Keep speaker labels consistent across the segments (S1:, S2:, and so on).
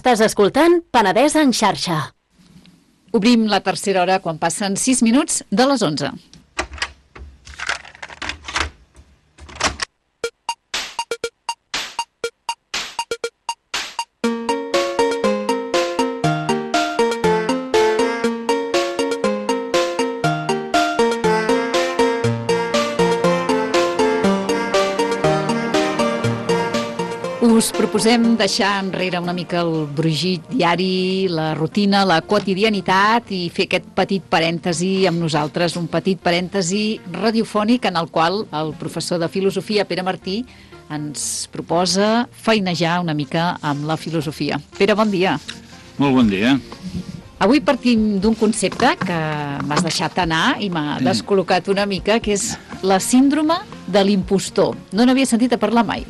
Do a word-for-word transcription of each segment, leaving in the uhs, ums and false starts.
S1: Estàs escoltant Penedès en xarxa.
S2: Obrim la tercera hora quan passen sis minuts de les onze. Us proposem deixar enrere una mica el brogit diari, la rutina, la quotidianitat i fer aquest petit parèntesi amb nosaltres, un petit parèntesi radiofònic en el qual el professor de filosofia, Pere Martí, ens proposa feinejar una mica amb la filosofia. Pere, bon dia.
S3: Molt bon dia.
S2: Avui partim d'un concepte que m'has deixat anar i m'ha descol·locat una mica, que és la síndrome de l'impostor. No n'havia sentit a parlar mai.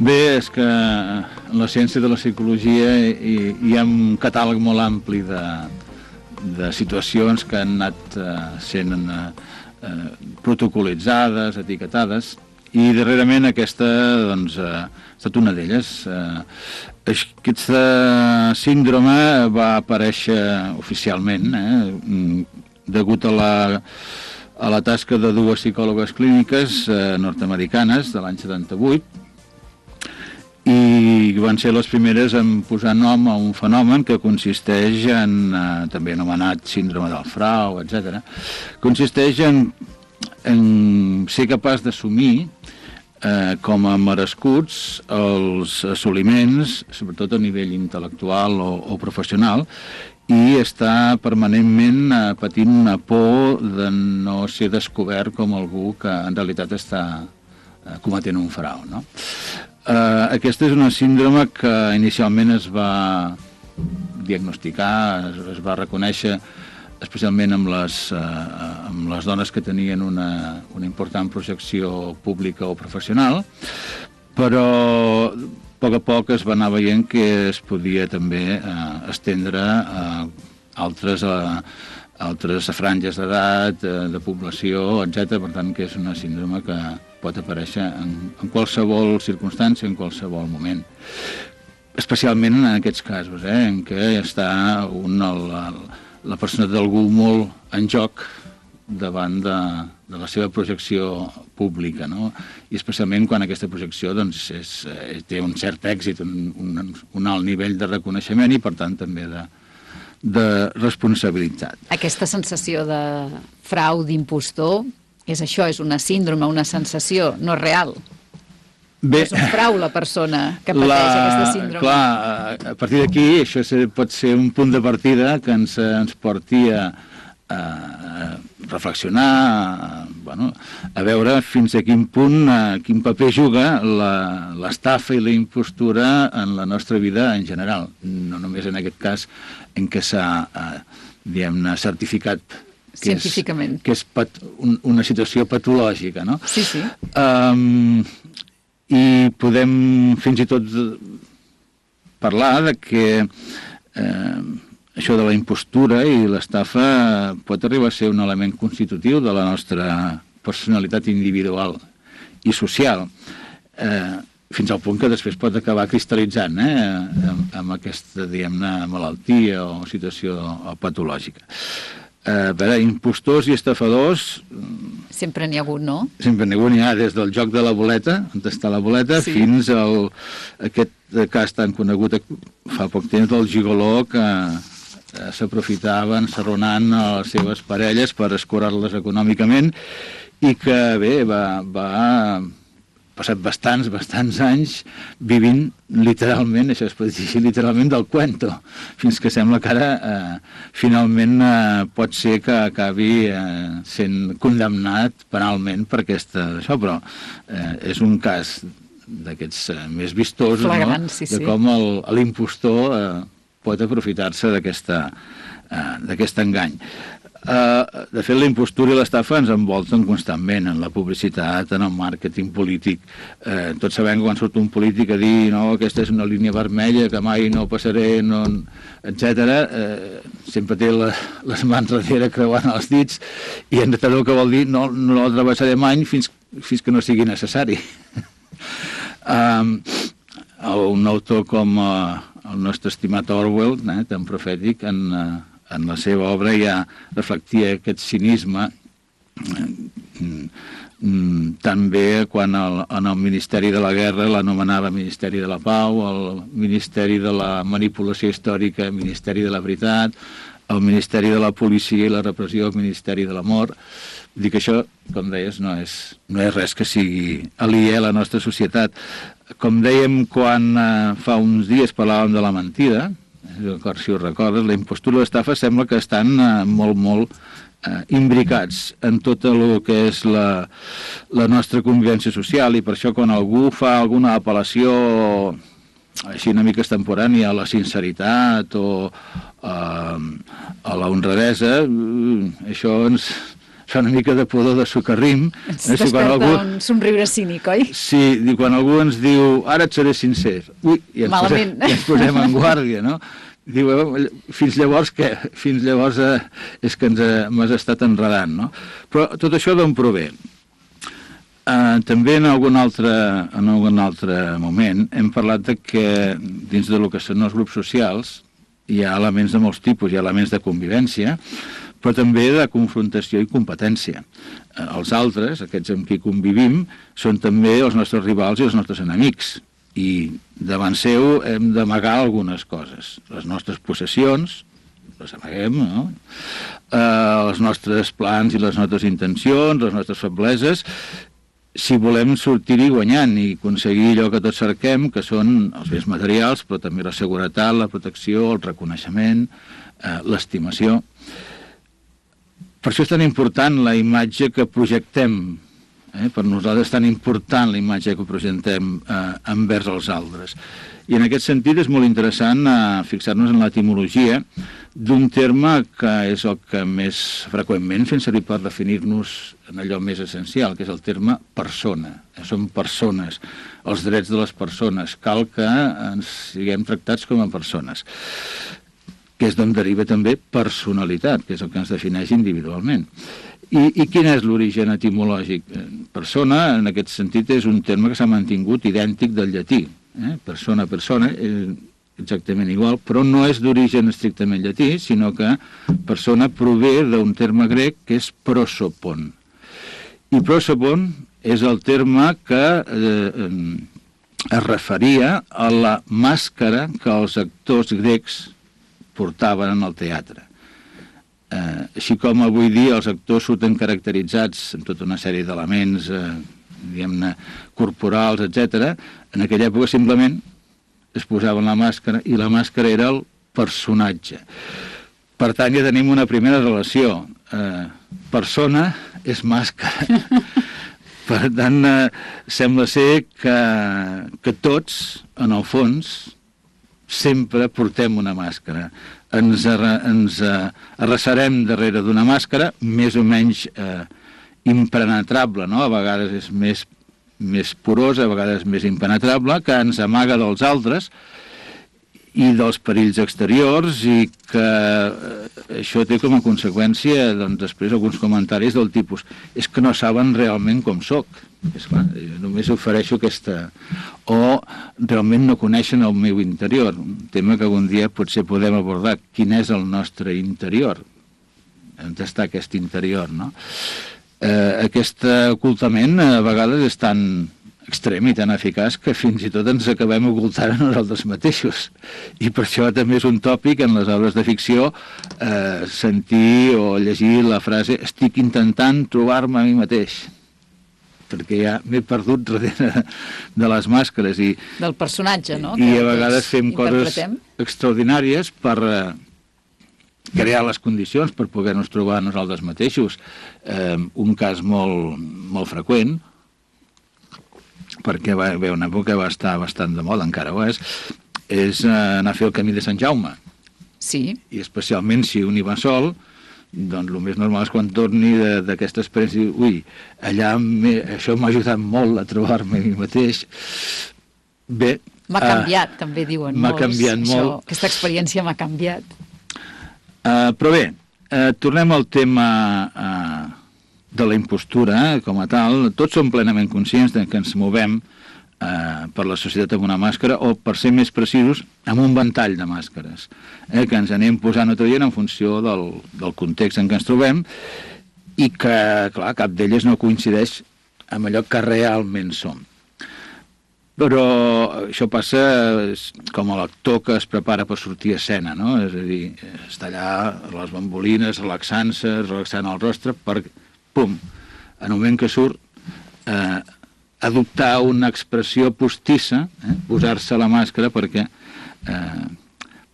S3: Bé, és que en la ciència de la psicologia hi, hi ha un catàleg molt ampli de, de situacions que han anat eh, sent eh, protocolitzades, etiquetades, i darrerament aquesta doncs, eh, ha estat una d'elles. Eh, aquesta síndrome va aparèixer oficialment, eh, degut a la, a la tasca de dues psicòlogues clíniques eh, nord-americanes de l'any setanta-vuit, i van ser les primeres en posar nom a un fenomen que consisteix en, eh, també anomenat síndrome del frau, etcètera. Consisteix en, en ser capaç d'assumir eh, com a merescuts els assoliments, sobretot a nivell intel·lectual o, o professional, i està permanentment eh, patint una por de no ser descobert com algú que en realitat està eh, cometent un frau, no? Uh, aquesta és una síndrome que inicialment es va diagnosticar, es, es va reconèixer especialment amb les, uh, amb les dones que tenien una, una important projecció pública o professional, però a poc a poc es va anar veient que es podia també uh, estendre a altres, uh, altres franges d'edat, uh, de població, etcètera. Per tant, que és una síndrome que pot aparèixer en, en qualsevol circumstància, en qualsevol moment. Especialment en aquests casos, eh, en què està un, la, la persona d'algú molt en joc davant de, de la seva projecció pública, no? I especialment quan aquesta projecció doncs, és, té un cert èxit, un, un, un alt nivell de reconeixement i, per tant, també de, de responsabilitat.
S2: Aquesta sensació de frau, d'impostor, és això, és una síndrome, una sensació, no real. Bé, és un frau la persona que pateix la, aquesta síndrome.
S3: Clar, a partir d'aquí això pot ser un punt de partida que ens, ens porti a, a reflexionar, a, bueno, a veure fins a quin punt, a quin paper juga l'estafa i la impostura en la nostra vida en general. No només en aquest cas en què s'ha, diguem-ne, certificat que
S2: científicament.
S3: És, que és pat, un, una situació patològica, no?
S2: Sí, sí.
S3: Um, I podem fins i tot parlar de que eh, això de la impostura i l'estafa pot arribar a ser un element constitutiu de la nostra personalitat individual i social, eh, fins al punt que després pot acabar cristal·litzant eh, amb, amb aquesta, diguem-ne, malaltia o situació patològica. A veure, impostors i estafadors...
S2: Sempre n'hi ha hagut, no?
S3: Sempre n'hi ha hagut, n'hi ha des del joc de la boleta, on està la boleta, sí, fins al aquest cas tan conegut fa poc temps del gigoló que eh, s'aprofitava ensarronant a les seves parelles per escurar-les econòmicament i que, bé, va... va passat bastants, bastants anys vivint literalment, això es pot dir literalment, del cuento, fins que sembla que ara eh, finalment eh, pot ser que acabi eh, sent condemnat penalment per aquesta... Això, però eh, és un cas d'aquests eh, més vistosos,
S2: flagrant,
S3: no?
S2: Sí,
S3: de
S2: sí.
S3: com l'impostor eh, pot aprofitar-se d'aquesta eh, d'aquest engany. Uh, de fet, la impostura i l'estafa ens envolten constantment en la publicitat, en el màrqueting polític. Uh, tots sabem que quan surt un polític a dir no, aquesta és una línia vermella que mai no passaré, no, etcètera, uh, sempre té la, les mans darrere creuant els dits i en realitat el que vol dir no, no la travessaré mai fins, fins que no sigui necessari. um, un autor com uh, el nostre estimat Orwell, eh, tan profètic, en, eh, en la seva obra ja reflectia aquest cinisme, eh, també quan el, en el Ministeri de la Guerra l'anomenava Ministeri de la Pau, el Ministeri de la Manipulació Històrica, Ministeri de la Veritat, el Ministeri de la Policia i la Repressió, el Ministeri de l'Amor. Dic, això, com deies, no és, no és res que sigui aliè a la nostra societat. Com dèiem quan eh, fa uns dies parlàvem de la mentida, eh, si ho recordes, la impostura i l'estafa sembla que estan eh, molt, molt eh, imbricats en tot el que és la, la nostra convivència social, i per això quan algú fa alguna apel·lació així una mica extemporània a la sinceritat o a, a la honradesa, això ens fa una mica de pudor de socarrim.
S2: Ens eh, si desperta algú... un somriure cínic, oi?
S3: Sí, i quan algú ens diu ara et seré sincer, ui, i ens, posem, i ens posem en guàrdia, no? Diu, fins llavors què? Fins llavors eh, és que ens m'has estat enredant, no? Però tot això d'on prové? Uh, també en algun, altre, en algun altre moment hem parlat de que dins del que són els grups socials hi ha elements de molts tipus, hi ha elements de convivència, però també de confrontació i competència. Uh, els altres, aquests amb qui convivim, són també els nostres rivals i els nostres enemics, i davant seu hem d'amagar algunes coses. Les nostres possessions, les amaguem, no? Uh, els nostres plans i les nostres intencions, les nostres febleses, si volem sortir-hi guanyant i aconseguir allò que tots cerquem, que són els béns materials, però també la seguretat, la protecció, el reconeixement, eh, l'estimació. Per això és tan important la imatge que projectem, eh? Per nosaltres és tan important la imatge que projectem eh, envers els altres. I en aquest sentit és molt interessant eh, fixar-nos en l'etimologia d'un terme que és el que més freqüentment fem servir per definir-nos en allò més essencial, que és el terme persona. Som persones, els drets de les persones. Cal que ens siguem tractats com a persones, que és d'on deriva també personalitat, que és el que ens defineix individualment. I, i quin és l'origen etimològic? Persona, en aquest sentit, és un terme que s'ha mantingut idèntic del llatí. Eh? Persona, persona, és exactament igual, però no és d'origen estrictament llatí, sinó que persona prové d'un terme grec que és prosopon. I prosopon és el terme que eh, es referia a la màscara que els actors grecs portaven en el teatre. Eh, així com avui dia els actors surten caracteritzats amb tota una sèrie d'elements, eh, diguem-ne, corporals, etcètera, en aquella època simplement es posaven la màscara i la màscara era el personatge. Per tant, ja tenim una primera relació. Eh, persona és màscara. Per tant, eh, sembla ser que, que tots, en el fons, sempre portem una màscara. Ens, arre, ens eh, arrecerem darrere d'una màscara més o menys eh, impenetrable, no? A vegades és més més porosa, a vegades més impenetrable, que ens amaga dels altres i dels perills exteriors, i que eh, això té com a conseqüència, doncs, després alguns comentaris del tipus és que no saben realment com soc. És clar, només ofereixo aquesta... O realment no coneixen el meu interior, un tema que algun dia potser podem abordar. Quin és el nostre interior? On està aquest interior, no? Eh, aquest ocultament a vegades és tan extrem i tan eficaç que fins i tot ens acabem ocultant a nosaltres mateixos. I per això també és un tòpic en les obres de ficció eh, sentir o llegir la frase estic intentant trobar-me a mi mateix, perquè ja m'he perdut darrere de les màscares. I,
S2: del personatge, no?
S3: I a vegades fem coses extraordinàries per... Eh, crear les condicions per poder-nos trobar nosaltres mateixos. Eh, un cas molt, molt freqüent, perquè va haver una època que va estar bastant de moda, encara ho és, és eh, anar a fer el camí de Sant Jaume.
S2: Sí.
S3: I especialment si un hi va sol, doncs el més normal és quan torni d'aquesta experiència, ui, allà això m'ha ajudat molt a trobar-me a mi mateix. Bé...
S2: M'ha canviat, uh, també diuen molts.
S3: M'ha canviat
S2: això,
S3: molt.
S2: Aquesta experiència m'ha canviat.
S3: Uh, però bé, uh, tornem al tema uh, de la impostura, eh, com a tal. Tots som plenament conscients de que ens movem eh, per la societat amb una màscara, o, per ser més precisos, amb un ventall de màscares, eh, que ens anem posant o traient en funció del, del context en què ens trobem, i que, clar, cap d'elles no coincideix amb allò que realment som. Però això passa com a l'actor que es prepara per sortir a escena, no? És a dir, està allà les bambolines, relaxant-se, relaxant el rostre, per, pum, en el moment que surt, eh, adoptar una expressió postissa, eh, posar-se la màscara perquè eh,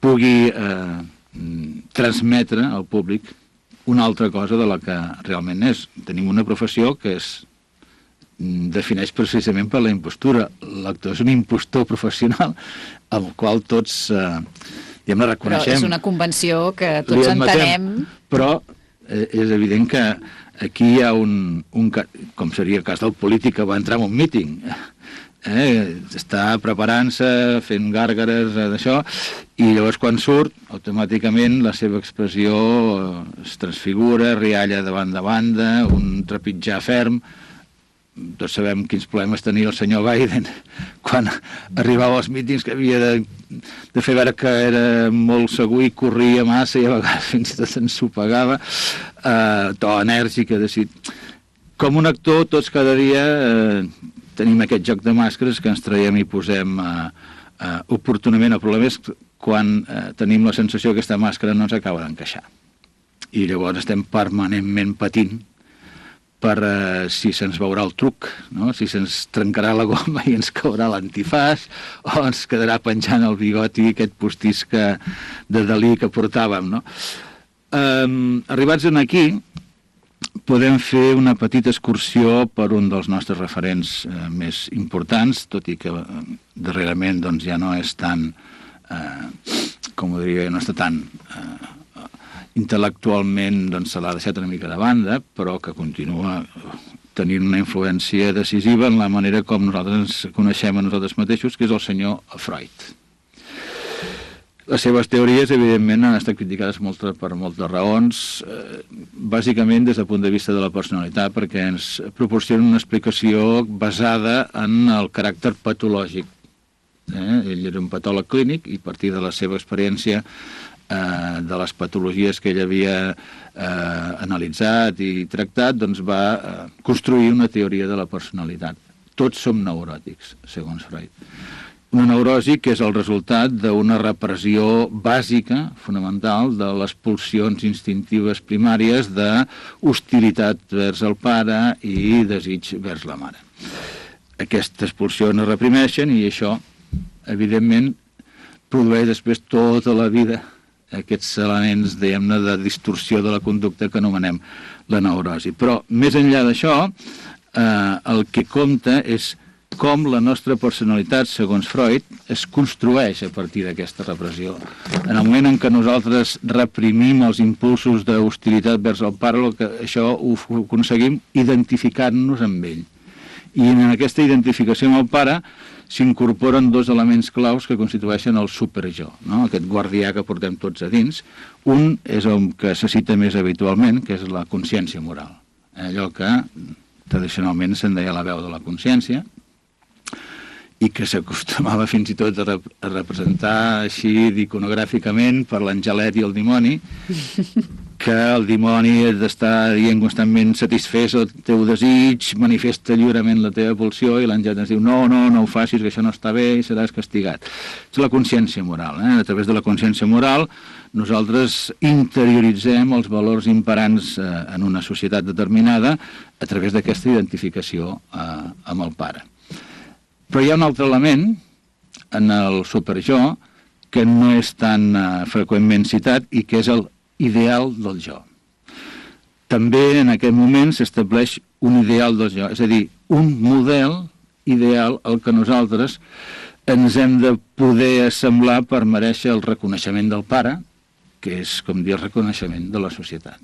S3: pugui eh, transmetre al públic una altra cosa de la que realment és. Tenim una professió que es defineix precisament per la impostura. L'actor és un impostor professional amb el qual tots eh, diguem, la reconeixem.
S2: Però és una convenció que tots entenem.
S3: Però eh, és evident que aquí hi ha un, un, com seria el cas del polític que va entrar en un míting, eh, està preparant-se, fent gàrgares eh, d'això, i llavors quan surt, automàticament la seva expressió es transfigura, rialla de banda a banda, un trepitjar ferm. Tots sabem quins problemes tenia el senyor Biden quan arribava als mítings, que havia de, de fer veure que era molt segur i corria massa i a vegades fins i tot s'ensopegava, eh, to enèrgic, a dir, com un actor tots cada dia eh, tenim aquest joc de màscares que ens traiem i posem eh, eh, oportunament. El problema és quan eh, tenim la sensació que aquesta màscara no ens acaba d'encaixar i llavors estem permanentment patint per uh, si se'ns veurà el truc, no? Si se'ns trencarà la goma i ens caurà l'antifàs, o ens quedarà penjant el bigoti aquest postís que, de Dalí que portàvem, no? Um, arribats en aquí, podem fer una petita excursió per un dels nostres referents uh, més importants, tot i que uh, darrerament doncs, ja no és tan, uh, com ho diria, no està tan... Uh, intel·lectualment doncs, se l'ha deixat una mica de banda, però que continua tenint una influència decisiva en la manera com nosaltres ens coneixem a nosaltres mateixos, que és el senyor Freud. Les seves teories, evidentment, han estat criticades molt, per moltes raons, eh, bàsicament des del punt de vista de la personalitat, perquè ens proporcionen una explicació basada en el caràcter patològic. Eh? Ell era un patòleg clínic i a partir de la seva experiència Uh, de les patologies que ell havia uh, analitzat i tractat, doncs va uh, construir una teoria de la personalitat. Tots som neuròtics, segons Freud. Una neurosi que és el resultat d'una repressió bàsica, fonamental, de les pulsions instintives primàries d'hostilitat vers el pare i desig vers la mare. Aquestes pulsions es reprimeixen i això, evidentment, produeix després tota la vida aquests elements, diguem-ne, de distorsió de la conducta que anomenem la neurosi. Però, més enllà d'això, eh, el que compta és com la nostra personalitat, segons Freud, es construeix a partir d'aquesta repressió. En el moment en què nosaltres reprimim els impulsos d'hostilitat vers el pare, que això ho aconseguim identificant-nos amb ell. I en aquesta identificació amb el pare s'incorporen dos elements claus que constitueixen el superjo, no? Aquest guardià que portem tots a dins. Un és el que se cita més habitualment, que és la consciència moral. Allò que tradicionalment se'n deia la veu de la consciència i que s'acostumava fins i tot a, rep a representar així iconogràficament per l'angelet i el dimoni, que el dimoni ha d'estar dient constantment satisfés el teu desig, manifesta lliurement la teva pulsió, i l'àngel ens diu no, no, no ho facis, que això no està bé i seràs castigat. És la consciència moral. Eh? A través de la consciència moral nosaltres interioritzem els valors imperants eh, en una societat determinada a través d'aquesta identificació eh, amb el pare. Però hi ha un altre element en el superjo que no és tan eh, freqüentment citat i que és el ideal del jo. També en aquest moment s'estableix un ideal del jo, és a dir, un model ideal al que nosaltres ens hem de poder assemblar per mereixer el reconeixement del pare, que és, com dir, el reconeixement de la societat.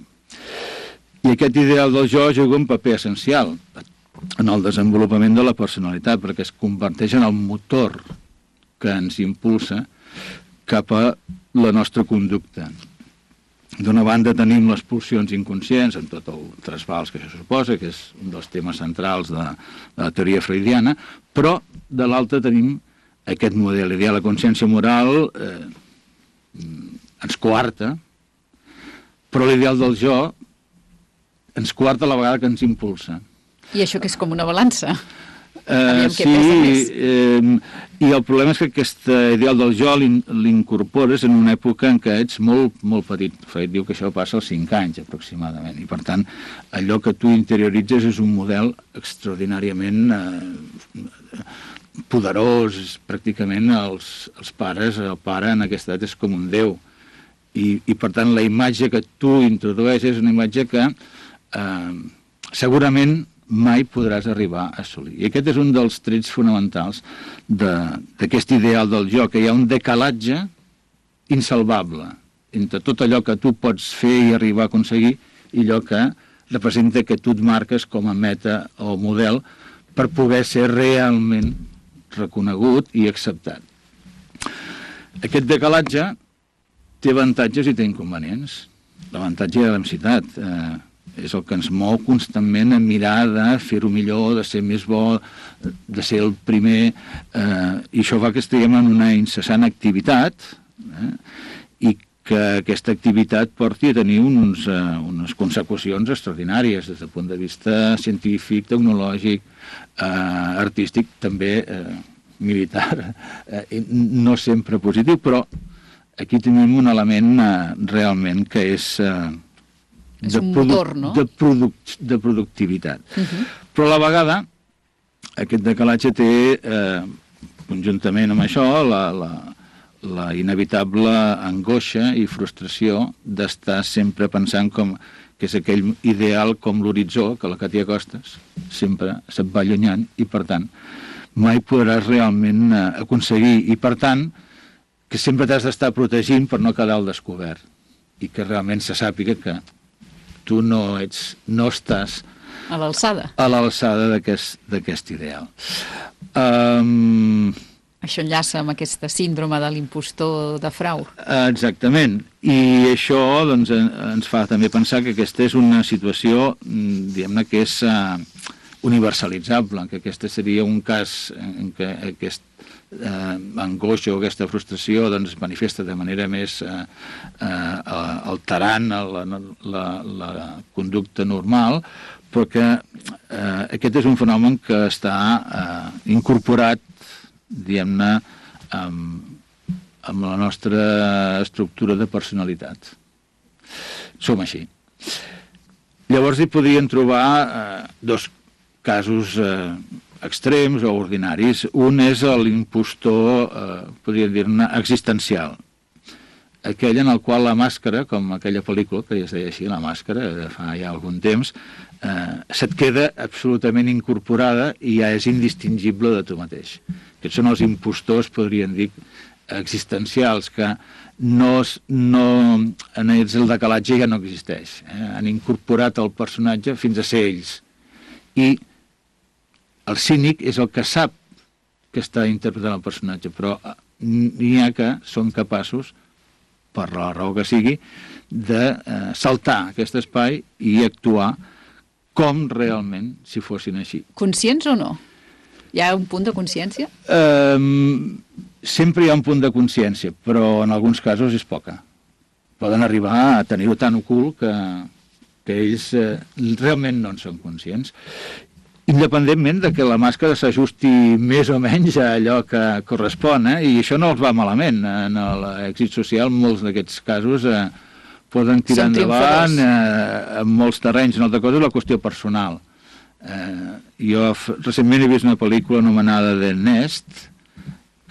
S3: I aquest ideal del jo juga un paper essencial en el desenvolupament de la personalitat, perquè es converteix en el motor que ens impulsa cap a la nostra conducta. d'una banda tenim les pulsions inconscients, amb tot el trasbals que això suposa, que és un dels temes centrals de, de la teoria freudiana, però de l'altra tenim aquest model ideal. La consciència moral eh, ens coarta, però l'ideal del jo ens coarta a la vegada que ens impulsa.
S2: I això que és com una balança.
S3: Uh, sí, eh, i el problema és que aquest ideal del jo l'incorpores en una època en què ets molt, molt petit. Freud diu que això passa als cinc anys aproximadament, i per tant allò que tu interioritzes és un model extraordinàriament eh, poderós. Pràcticament els, els pares, el pare en aquesta edat és com un déu, i, i per tant la imatge que tu introdueixes és una imatge que eh, segurament mai podràs arribar a assolir. I aquest és un dels trets fonamentals d'aquest ideal del jo, que hi ha un decalatge insalvable entre tot allò que tu pots fer i arribar a aconseguir i allò que representa que tu et marques com a meta o model per poder ser realment reconegut i acceptat. Aquest decalatge té avantatges i té inconvenients. L'avantatge de la densitat eh, és el que ens mou constantment a mirar de fer-ho millor, de ser més bo, de ser el primer, eh, i això fa que estiguem en una incessant activitat, eh, i que aquesta activitat porti a tenir uns, eh, unes consecucions extraordinàries des del punt de vista científic, tecnològic, eh, artístic, també eh, militar, eh, no sempre positiu, però aquí tenim un element eh, realment que és... Eh,
S2: és un motor, no?
S3: De, produc de productivitat. Uh -huh. Però a la vegada, aquest decalatge té, eh, conjuntament amb això, la, la, la inevitable angoixa i frustració d'estar sempre pensant com que és aquell ideal com l'horitzó, que la que t'hi acostes, sempre se't va allunyant, i per tant mai podràs realment eh, aconseguir, i per tant que sempre t'has d'estar protegint per no quedar al descobert, i que realment se sàpiga que tu no ets, no estàs
S2: a l'alçada
S3: a l'alçada d'aquest ideal. Um,
S2: això enllaça amb aquesta síndrome de l'impostor de Frau.
S3: Exactament, i això doncs, ens fa també pensar que aquesta és una situació, diguem-ne, que és uh, universalitzable, que aquest seria un cas en què aquest eh, angoixa o aquesta frustració doncs, es manifesta de manera més eh, eh, alterant la, la, la conducta normal, però que eh, aquest és un fenomen que està eh, incorporat, diguem-ne, amb, amb la nostra estructura de personalitat. Som així. Llavors hi podrien trobar eh, dos casos eh, extrems o ordinaris. Un és l'impostor, eh, podríem dir-ne, existencial. Aquell en el qual la màscara, com aquella pel·lícula que ja es deia així, La màscara, de fa ja algun temps, eh, se't queda absolutament incorporada i ja és indistingible de tu mateix. Aquests són els impostors, podríem dir, existencials, que no, no, en ells el decalatge ja no existeix. Eh? Han incorporat el personatge fins a ser ells. I el cínic és el que sap que està interpretant el personatge, però n'hi ha que són capaços, per la raó que sigui, de eh, saltar aquest espai i actuar com realment si fossin així.
S2: Conscients o no? Hi ha un punt de consciència?
S3: Um, sempre hi ha un punt de consciència, però en alguns casos és poca. Poden arribar a tenir-ho tan ocult que, que ells eh, realment no en són conscients. Independentment de que la màscara s'ajusti més o menys a allò que correspon, eh? I això no els va malament. En l'èxit social, molts d'aquests casos eh, poden tirar endavant eh, en molts terrenys. Una altra cosa és la qüestió personal. Eh, jo recentment he vist una pel·lícula anomenada The Nest,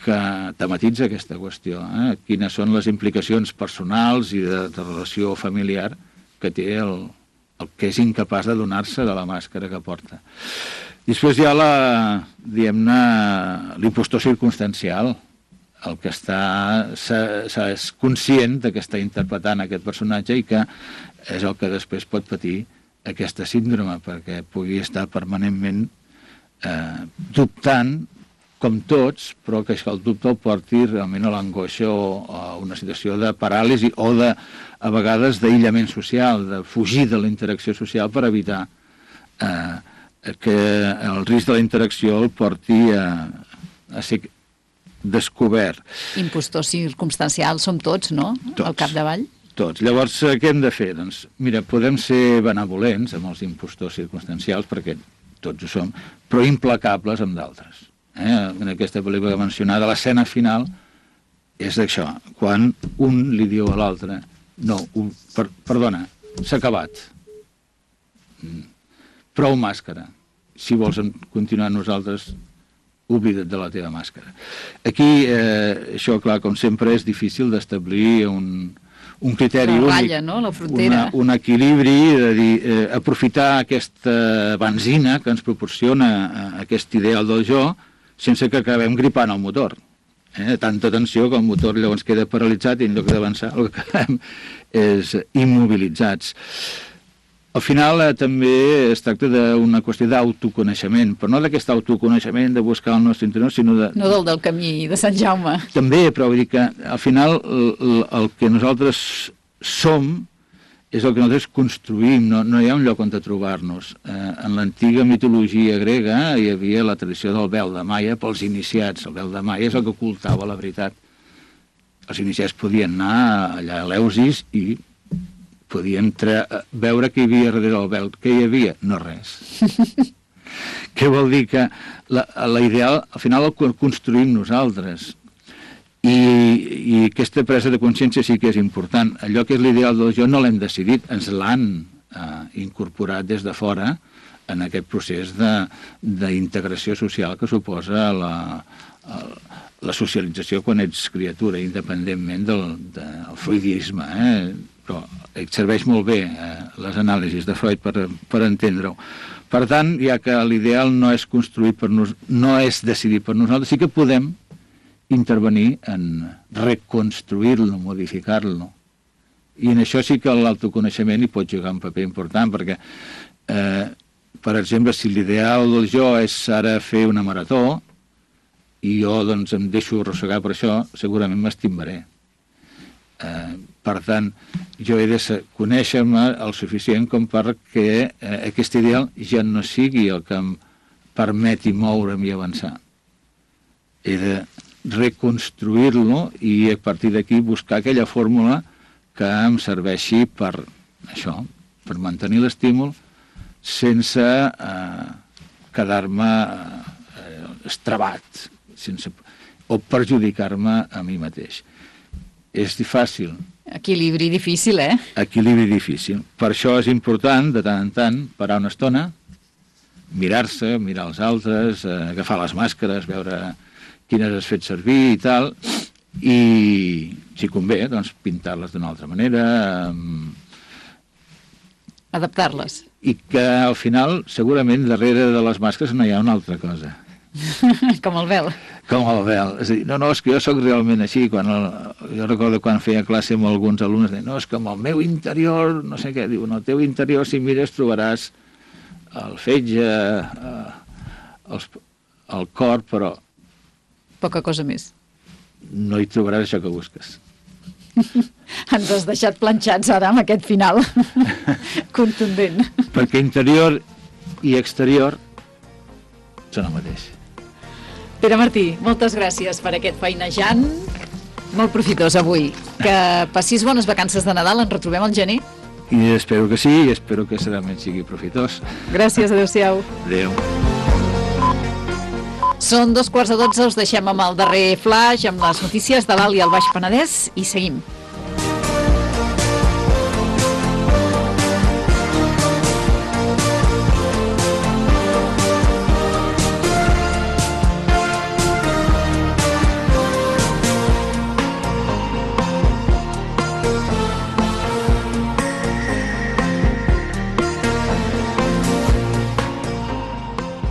S3: que tematitza aquesta qüestió, eh? Quines són les implicacions personals i de, de relació familiar que té el el que és incapaç de donar-se de la màscara que porta. Després hi ha la, diguem-ne, l'impostor circumstancial, el que està, és conscient de que està interpretant aquest personatge i que és el que després pot patir aquesta síndrome, perquè pugui estar permanentment eh, dubtant com tots, però que el dubte el porti realment a l'angoixa o a una situació de paràlisi o de, a vegades d'aïllament social, de fugir de la interacció social per evitar eh, que el risc de la interacció el porti a, a ser descobert.
S2: Impostors circumstancials som tots, no?
S3: Tots.
S2: Al capdavall.
S3: Tots. Llavors, què hem de fer? Doncs, mira, podem ser benevolents amb els impostors circumstancials, perquè tots ho som, però implacables amb d'altres. Eh? En aquesta pel·lícula mencionada, l'escena final és això, quan un li diu a l'altre, no, un, per, perdona, s'ha acabat. Prou màscara. Si vols continuar amb nosaltres, oblida't de la teva màscara. Aquí, eh, això, clar, com sempre, és difícil d'establir un, un criteri
S2: la
S3: únic,
S2: ratlla, no? La frontera.
S3: Una, un equilibri, de dir, eh, aprofitar aquesta benzina que ens proporciona eh, aquest ideal del jo, sense que acabem gripant el motor. Eh? Tanta tensió que el motor llavors queda paralitzat i en lloc d'avançar el que acabem és immobilitzats. Al final eh, també es tracta d'una qüestió d'autoconeixement, però no d'aquest autoconeixement de buscar el nostre interior, sinó de...
S2: No del del camí de Sant Jaume.
S3: També, però vull dir que al final el, el que nosaltres som és el que nosaltres construïm, no, no hi ha un lloc on trobar-nos. Eh, en l'antiga mitologia grega hi havia la tradició del vel de Maia pels iniciats. El vel de Maia és el que ocultava la veritat. Els iniciats podien anar allà a l'Eleusis i podien veure què hi havia darrere del vel. Què hi havia? No res. Què vol dir? Que la, la ideal, al final el construïm nosaltres. I, i aquesta presa de consciència sí que és important. Allò que és l'ideal del jo no l'hem decidit, ens l'han eh, incorporat des de fora en aquest procés d'integració social que suposa la, la socialització quan ets criatura, independentment del, del freudisme. Eh? Però et serveix molt bé eh, les anàlisis de Freud per, per entendre-ho. Per tant, ja que l'ideal no és construït per nos, no és decidit per nosaltres, sí que podem intervenir en reconstruir-lo, modificar-lo. I en això sí que l'autoconeixement hi pot jugar un paper important, perquè, eh, per exemple, si l'ideal del jo és ara fer una marató, i jo doncs em deixo arrossegar per això, segurament m'estimbaré. Eh, per tant, jo he de conèixer-me el suficient com perquè eh, aquest ideal ja no sigui el que em permeti moure'm i avançar. He de reconstruir-lo i a partir d'aquí buscar aquella fórmula que em serveixi per això, per mantenir l'estímul sense eh, quedar-me eh, estrabat sense, o perjudicar-me a mi mateix. És fàcil.
S2: Equilibri difícil, eh?
S3: Equilibri difícil. Per això és important, de tant en tant, parar una estona, mirar-se, mirar els altres, eh, agafar les màscares, veure quines has fet servir i tal, i si convé, doncs pintar-les d'una altra manera.
S2: Adaptar-les.
S3: I que al final, segurament, darrere de les màscares no hi ha una altra cosa.
S2: Com el vel.
S3: Com el vel. És a dir, no, no, és que jo sóc realment així. Quan el, jo recordo quan feia classe amb alguns alumnes, deien, no, és que amb el meu interior, no sé què, diu, en el teu interior, si mires, trobaràs el fetge, eh, els, el cor, però
S2: poca cosa més.
S3: No hi trobaràs això que busques.
S2: Ens has deixat planxats ara amb aquest final contundent.
S3: Perquè interior i exterior són el mateix.
S2: Pere Martí, moltes gràcies per aquest feinejant molt profitós avui. Que passis bones vacances de Nadal, ens retrobem al gener.
S3: I espero que sí, i espero que realment sigui profitós.
S2: Gràcies, adéu-siau.
S3: Adéu.
S2: Són dos quarts de dotze, us deixem amb el darrer flash, amb les notícies de l'Alt i el Baix Penedès, i seguim.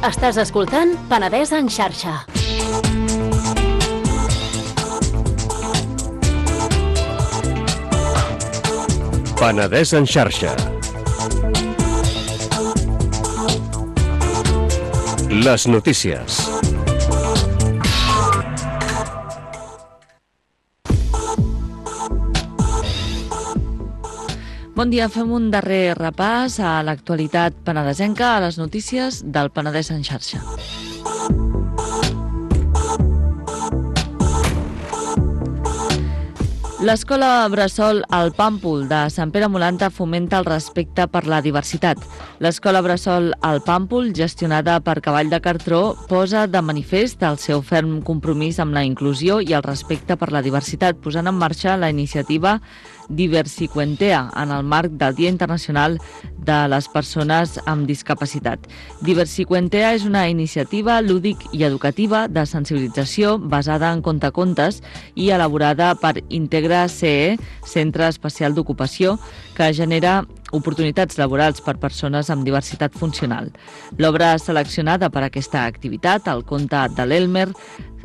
S1: Estàs escoltant Penedès en xarxa.
S4: Penedès en xarxa. Les notícies.
S5: Bon dia, fem un darrer repàs a l'actualitat penedesenca, a les notícies del Penedès en xarxa. L'escola Bressol al Pàmpol de Sant Pere Molanta fomenta el respecte per la diversitat. L'escola Bressol al Pàmpol, gestionada per Cavall de Cartró, posa de manifest el seu ferm compromís amb la inclusió i el respecte per la diversitat, posant en marxa la iniciativa Diversicuentea en el marc del Dia Internacional de les Persones amb Discapacitat. Diversicuentea és una iniciativa lúdic i educativa de sensibilització basada en contacontes i elaborada per Integra C E, Centre Especial d'Ocupació, que genera oportunitats laborals per persones amb diversitat funcional. L'obra seleccionada per aquesta activitat, el conte de l'Elmer,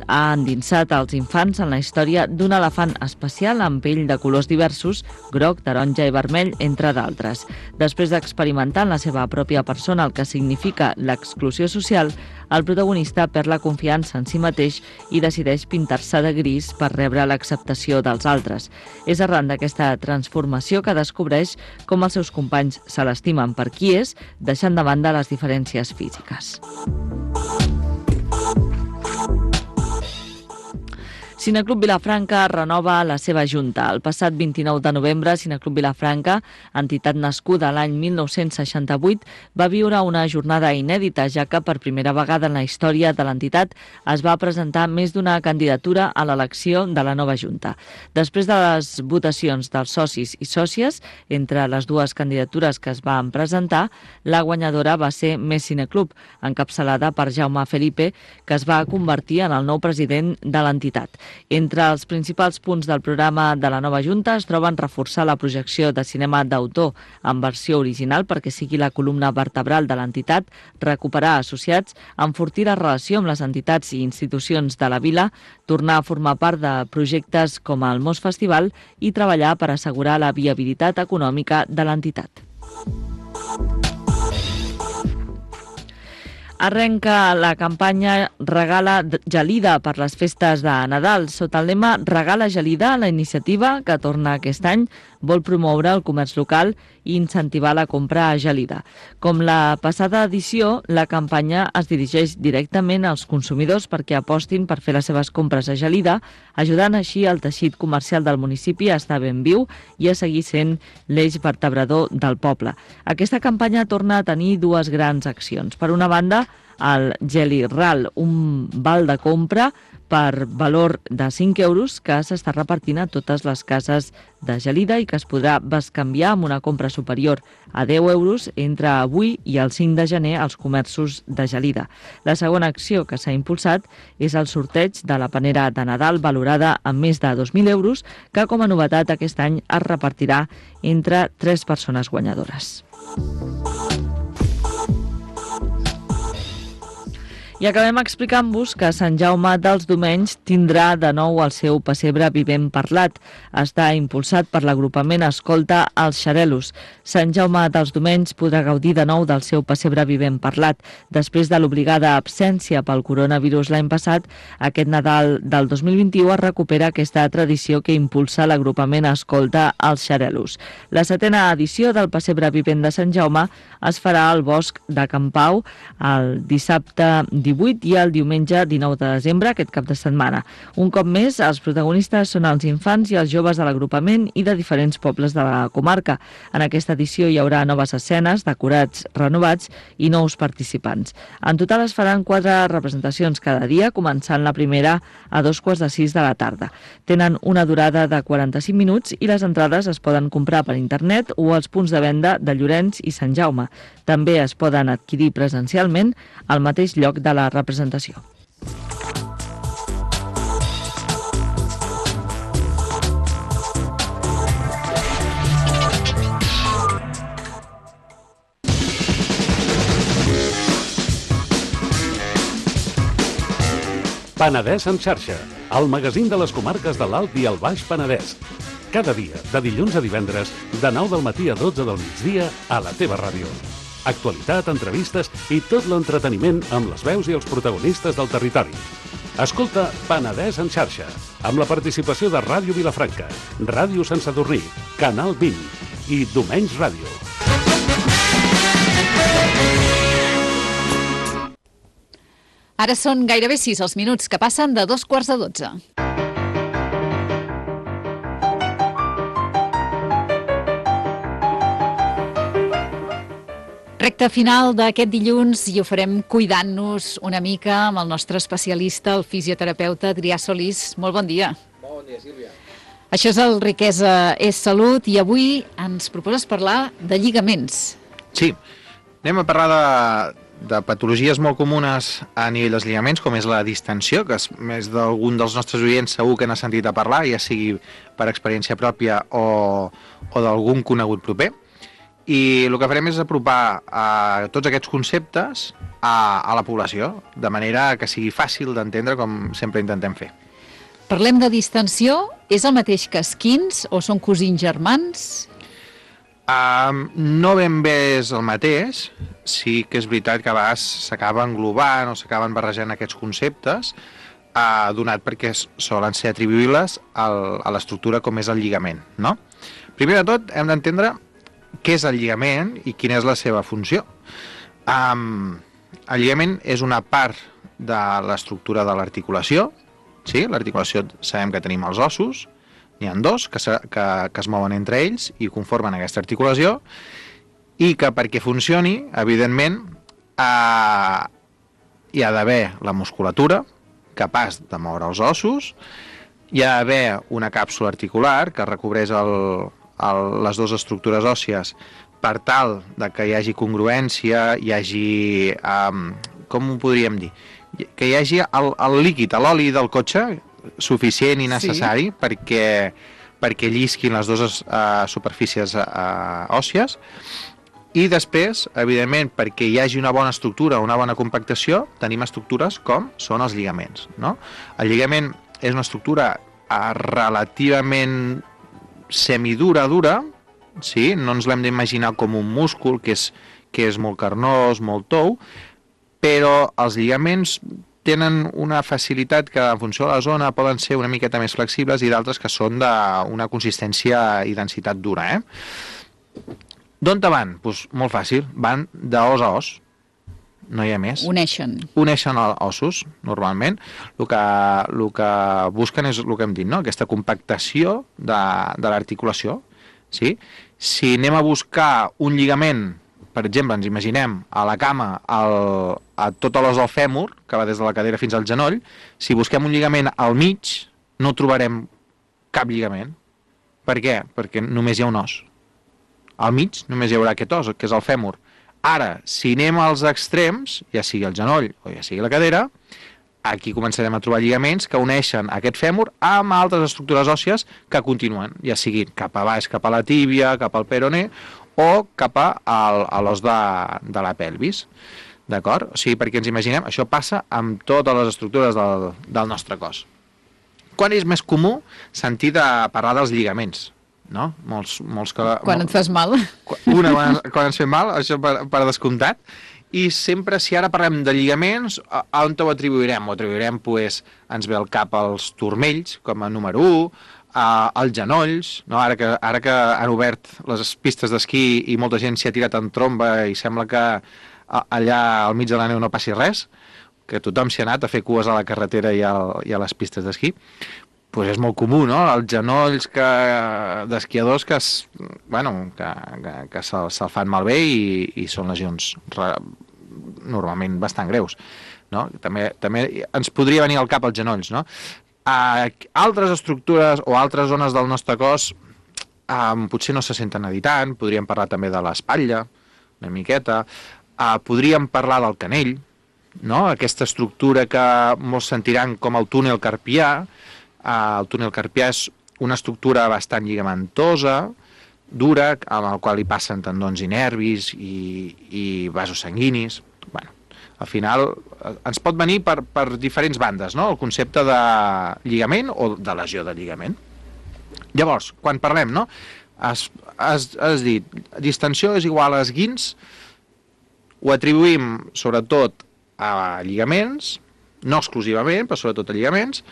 S5: ha endinsat els infants en la història d'un elefant especial amb pell de colors diversos, groc, taronja i vermell, entre d'altres. Després d'experimentar en la seva pròpia persona el que significa l'exclusió social, el protagonista perd la confiança en si mateix i decideix pintar-se de gris per rebre l'acceptació dels altres. És arran d'aquesta transformació que descobreix com els seus companys se l'estimen per qui és, deixant de banda les diferències físiques. Cineclub Vilafranca renova la seva junta. El passat vint-i-nou de novembre, Cineclub Vilafranca, entitat nascuda l'any mil nou-cents seixanta-vuit, va viure una jornada inèdita, ja que per primera vegada en la història de l'entitat es va presentar més d'una candidatura a l'elecció de la nova junta. Després de les votacions dels socis i sòcies, entre les dues candidatures que es van presentar, la guanyadora va ser Més Cineclub, encapçalada per Jaume Felipe, que es va convertir en el nou president de l'entitat. Entre els principals punts del programa de la nova Junta es troben reforçar la projecció de cinema d'autor en versió original perquè sigui la columna vertebral de l'entitat, recuperar associats, enfortir la relació amb les entitats i institucions de la vila, tornar a formar part de projectes com el Mos Festival i treballar per assegurar la viabilitat econòmica de l'entitat. Arrenca la campanya Regala Gelida per les festes de Nadal. Sota el lema Regala Gelida, la iniciativa, que torna aquest any, vol promoure el comerç local i incentivar la compra a gelida. Com la passada edició, la campanya es dirigeix directament als consumidors perquè apostin per fer les seves compres a gelida, ajudant així el teixit comercial del municipi a estar ben viu i a seguir sent l'eix vertebrador del poble. Aquesta campanya torna a tenir dues grans accions. Per una banda, el Geli Ral, un val de compra per valor de cinc euros que s'està repartint a totes les cases de gelida i que es podrà bescanviar amb una compra superior a deu euros entre avui i el cinc de gener als comerços de gelida. La segona acció que s'ha impulsat és el sorteig de la panera de Nadal valorada amb més de dos mil euros que com a novetat aquest any es repartirà entre tres persones guanyadores. I acabem explicant-vos que Sant Jaume dels Domenys tindrà de nou el seu pessebre vivent parlat. Està impulsat per l'agrupament Escolta els Xarelos. Sant Jaume dels Domenys podrà gaudir de nou del seu pessebre vivent parlat. Després de l'obligada absència pel coronavirus l'any passat, aquest Nadal del dos mil vint-i-u es recupera aquesta tradició que impulsa l'agrupament Escolta els Xarelos. La setena edició del pessebre vivent de Sant Jaume es farà al Bosc de Can Pau el dissabte divuit i el diumenge dinou de desembre, aquest cap de setmana. Un cop més, els protagonistes són els infants i els joves de l'agrupament i de diferents pobles de la comarca. En aquesta edició hi haurà noves escenes, decorats renovats i nous participants. En total es faran quatre representacions cada dia, començant la primera a dos quarts de sis de la tarda. Tenen una durada de quaranta-cinc minuts i les entrades es poden comprar per internet o als punts de venda de Llorenç i Sant Jaume. També es poden adquirir presencialment al mateix lloc de la representació.
S6: Penedès en xarxa, el magazín de les comarques de l'Alt i el Baix Penedès. Cada dia, de dilluns a divendres, de nou del matí a dotze del migdia, a la teva ràdio. Actualitat, entrevistes i tot l'entreteniment amb les veus i els protagonistes del territori. Escolta Penedès en xarxa, amb la participació de Ràdio Vilafranca, Ràdio Sant Sadurní, Canal vint, i Domenys Ràdio.
S2: Ara són gairebé sis els minuts que passen de dos quarts de dotze. Recte final d'aquest dilluns i ho farem cuidant-nos una mica amb el nostre especialista, el fisioterapeuta Adrià Solís. Molt bon dia.
S7: Bon dia, Sílvia.
S2: Això és el Riquesa és Salut i avui ens proposes parlar de lligaments.
S7: Sí, anem a parlar de, de patologies molt comunes a nivell dels lligaments, com és la distensió, que és més d'algun dels nostres oients segur que n'ha sentit a parlar, ja sigui per experiència pròpia o, o d'algun conegut proper. I el que farem és apropar a tots aquests conceptes a, a la població, de manera que sigui fàcil d'entendre, com sempre intentem fer.
S2: Parlem de distensió. És el mateix que esquins o són cosins germans?
S7: Um, no ben bé és el mateix. Sí que és veritat que a vegades s'acaba englobant o s'acaben barrejant aquests conceptes, uh, donat perquè solen ser atribuïbles al, a l'estructura com és el lligament, no? Primer de tot, hem d'entendre què és el lligament i quina és la seva funció. Um, el lligament és una part de l'estructura de l'articulació. Sí, l'articulació sabem que tenim els ossos, n'hi ha dos que, se, que, que es mouen entre ells i conformen aquesta articulació, i que perquè funcioni, evidentment, eh, hi ha d'haver la musculatura capaç de moure els ossos, hi ha d'haver una càpsula articular que recobreix el, el, les dues estructures òssies per tal de que hi hagi congruència, hi hagi, um, com ho podríem dir, que hi hagi el, el líquid, l'oli del cotxe suficient i necessari sí. perquè, perquè llisquin les dues uh, superfícies uh, òssies, i després, evidentment, perquè hi hagi una bona estructura, una bona compactació, tenim estructures com són els lligaments, no? El lligament és una estructura uh, relativament semidura, dura, sí? No ens l'hem d'imaginar com un múscul que és, que és molt carnós, molt tou, però els lligaments tenen una facilitat que en funció de la zona poden ser una miqueta més flexibles i d'altres que són d'una consistència i densitat dura. Eh? D'on te van? Pues molt fàcil, van d'os a os, no hi ha més.
S2: Uneixen.
S7: Uneixen ossos, normalment. El que, el que busquen és el que hem dit, no? Aquesta compactació de, de l'articulació. Sí? Si anem a buscar un lligament, per exemple, ens imaginem a la cama el, a tota l'os del fèmur, que va des de la cadera fins al genoll, si busquem un lligament al mig, no trobarem cap lligament. Per què? Perquè només hi ha un os. Al mig només hi haurà aquest os, que és el fèmur. Ara, si anem als extrems, ja sigui el genoll o ja sigui la cadera, aquí començarem a trobar lligaments que uneixen aquest fèmur amb altres estructures òssies que continuen, ja siguin cap a baix, cap a la tíbia, cap al peroné, o cap a l'os de, de la pelvis, d'acord? O sigui, perquè ens imaginem, això passa amb totes les estructures del, del nostre cos. Quan és més comú sentir de parlar dels lligaments, no? Molts, molts que...
S2: Quan et fas mal.
S7: Una, quan, quan ens fem mal, això per, per descomptat, i sempre, si ara parlem de lligaments, a, a on ho atribuirem? Ho atribuirem, pues, ens ve al cap als turmells, com a número u, Uh, els genolls, no? ara, que, ara que han obert les pistes d'esquí i molta gent s'hi ha tirat en tromba i sembla que uh, allà al mig de la neu no passi res, que tothom s'hi ha anat a fer cues a la carretera i, al, i a les pistes d'esquí, pues és molt comú, no? Els genolls que, d'esquiadors que, es, bueno, que, que, que se'l se fan malbé i, i són lesions re, normalment bastant greus. No? També, també ens podria venir al cap els genolls, no? Uh, altres estructures o altres zones del nostre cos um, potser no se senten a dir tant, podríem parlar també de l'espatlla, una miqueta, uh, podríem parlar del canell, no? Aquesta estructura que molts sentiran com el túnel carpià. Uh, el túnel carpià és una estructura bastant lligamentosa, dura, amb el qual hi passen tendons i nervis i, i vasos sanguinis. Bueno, al final ens pot venir per, per diferents bandes, no? El concepte de lligament o de lesió de lligament. Llavors, quan parlem, no? Has, has, has dit, distensió és igual a esguins, ho atribuïm sobretot a lligaments, no exclusivament, però sobretot a lligaments,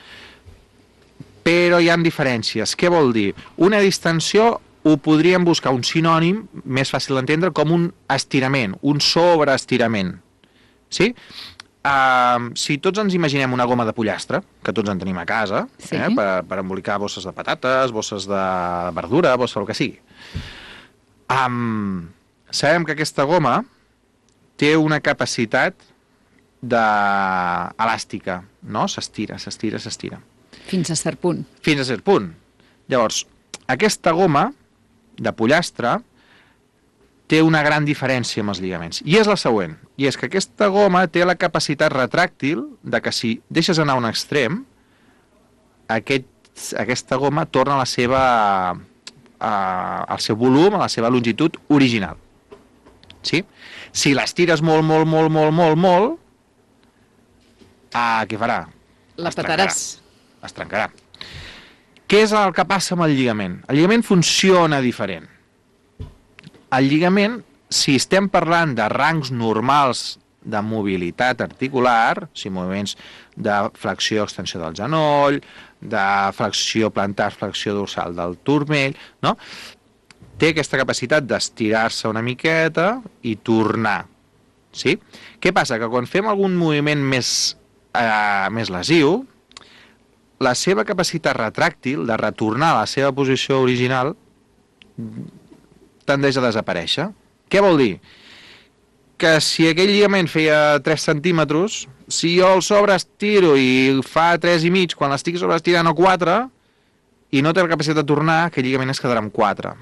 S7: però hi ha diferències. Què vol dir? Una distensió ho podríem buscar un sinònim més fàcil d'entendre com un estirament, un sobreestirament. Sí? Uh, si tots ens imaginem una goma de pollastre, que tots en tenim a casa,
S2: sí.
S7: eh, per, per embolicar bosses de patates, bosses de verdura, bosses del que sigui. Um, sabem que aquesta goma té una capacitat de... elàstica, no? S'estira, s'estira, s'estira.
S2: Fins a cert punt.
S7: Fins a cert punt. Llavors, aquesta goma de pollastre té una gran diferència amb els lligaments. I és la següent. I és que aquesta goma té la capacitat retràctil de que si deixes anar a un extrem, aquest, aquesta goma torna a la seva, a, al seu volum, a la seva longitud original. Sí? Si l'estires molt, molt, molt, molt, molt, molt, ah, què farà?
S2: La
S7: Es trencarà.
S2: petaràs.
S7: Es trencarà. Què és el que passa amb el lligament? El lligament funciona diferent. El lligament, si estem parlant de rangs normals de mobilitat articular, o sigui, moviments de flexió-extensió del genoll, de flexió plantar, flexió dorsal del turmell, no? Té aquesta capacitat d'estirar-se una miqueta i tornar. Sí? Què passa? Que quan fem algun moviment més, eh, més lesiu, la seva capacitat retràctil de retornar a la seva posició original tendeix a desaparèixer. Què vol dir? Que si aquell lligament feia tres centímetres, si jo el sobreestiro i fa tres i mig, quan l'estic sobreestirant o quatre, i no té la capacitat de tornar, aquell lligament es quedarà amb quatre.